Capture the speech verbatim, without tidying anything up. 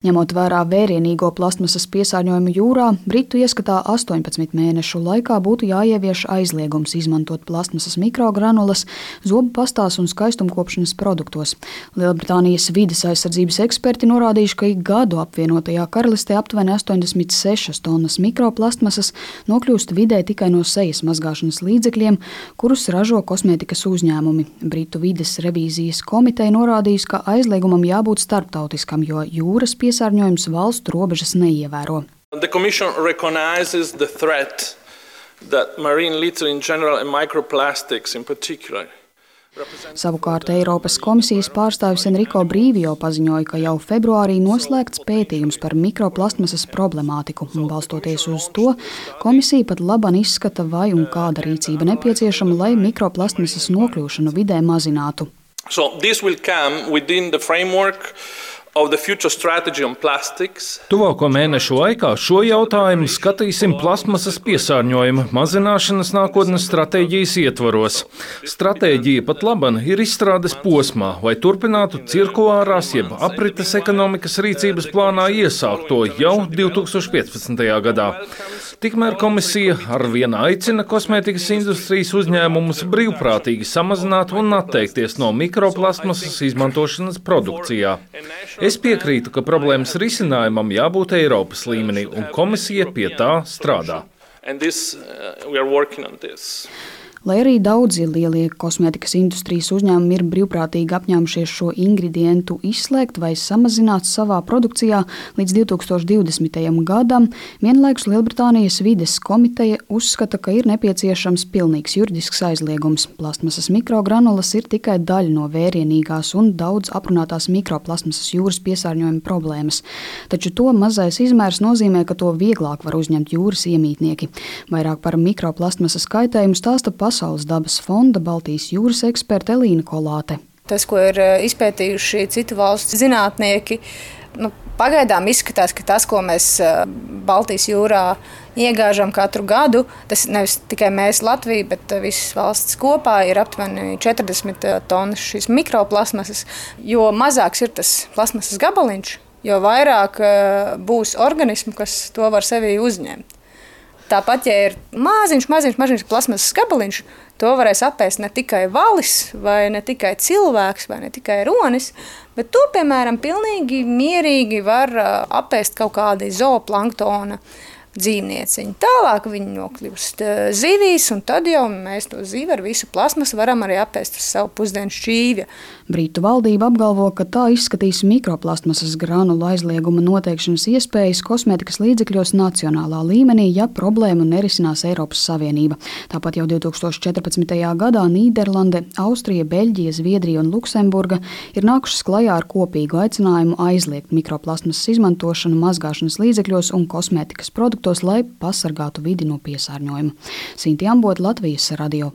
Ņemot vērā vērienīgo plastmasas piesārņojumu jūrā, Britu ieskatā astoņpadsmit mēnešu laikā būtu jāievieš aizliegums izmantot plastmasas mikrogranulas zobu pastās un skaistumkopšanas produktos. Lielbritānijas vides aizsardzības eksperti norādījuši, ka ik gadu apvienotajā karalistē aptuveni astoņdesmit sešas tonnas mikroplastmasas nokļūst vidē tikai no sejas mazgāšanas līdzekļiem, kurus ražo kosmētikas uzņēmumi. Britu vides revīzijas komiteja norādījusi, ka aizliegumam jābūt starptautiskam, jo jūras piesārņojums valstu robežas neievēro. The Commission recognizes the threat that marine litter in general and microplastics in particular. Savukārt Eiropas komisijas pārstāvis Enrico Brīvio paziņoja, ka jau februārī noslēgts pētījums par mikroplastmasas problemātiku, un balstoties uz to, komisija pat laban izskata, vai un kāda rīcība nepieciešama, lai mikroplastmasas nokļūšanu vidē mazinātu. So this will come within the framework of the future strategy on plastics. Tuvāko mēnešu laikā šo jautājumu skatīsim plasmasas piesārņojuma mazināšanas nākotnes stratēģijas ietvaros. Stratēģija pat laban ir izstrādes posmā, vai turpinātu cirkulārās jeb aprites ekonomikas rīcības plānā iesākto jau divi tūkstoši piecpadsmitajā gadā. Tikmēr komisija arvien aicina kosmētikas industrijas uzņēmumus brīvprātīgi samazināt un atteikties no mikroplastmasas izmantošanas produkcijā. Es piekrītu, ka problēmas risinājumam jābūt Eiropas līmenī, un komisija pie tā strādā. Lai arī daudzi lielie kosmētikas industrijas uzņēmumi ir brīvprātīgi apņēmušies šo ingredientu izslēgt vai samazināt savā produkcijā līdz divi tūkstoši divdesmitajam gadam, vienlaikus Lielbritānijas vides komiteja uzskata, ka ir nepieciešams pilnīgs juridisks aizliegums. Plastmasas mikrogranulas ir tikai daļa no vērienīgās un daudz aprunātās mikroplastmasas jūras piesārņojuma problēmas. Taču to mazais izmērs nozīmē, ka to vieglāk var uzņemt jūras iemītnieki. Vairāk par mikroplastmasas kaitējumu stāsta Pasaules dabas fonda Baltijas jūras eksperta Elīna Kolāte. Tas, ko ir izpētījuši citu valstu zinātnieki, nu, pagaidām izskatās, ka tas, ko mēs Baltijas jūrā iegāžam katru gadu, tas nevis tikai mēs Latvija, bet visas valsts kopā ir aptuveni četrdesmit tonnas šīs mikroplasmasas. Jo mazāks ir tas plasmasas gabaliņš, jo vairāk būs organismu, kas to var sevī uzņemt. Tāpat, ja ir maziņš, maziņš, maziņš plasmasas gabaliņš, to varēs apēst ne tikai valis, vai ne tikai cilvēks, vai ne tikai ronis, bet to, piemēram, pilnīgi mierīgi var apēst kaut kādi zooplanktona dzīvnieciņi. Tālāk viņi nokļūst zivīs, un tad jau mēs to zivi ar visu plasmasu varam arī apēst uz savu pusdienu šķīvja. Britu valdība apgalvo, ka tā izskatīs mikroplastmasas granulu aizlieguma noteikšanas iespējas kosmētikas līdzekļos nacionālā līmenī, ja problēmu nerisinās Eiropas Savienība. Tāpat jau divi tūkstoši četrpadsmitajā gadā Nīderlande, Austrija, Beļģija, Zviedrija un Luksemburga ir nākušas klajā ar kopīgu aicinājumu aizliegt mikroplastmasas izmantošanu mazgāšanas līdzekļos un kosmētikas produktos, lai pasargātu vidi no piesārņojuma. Sinti Ambota, Latvijas radio.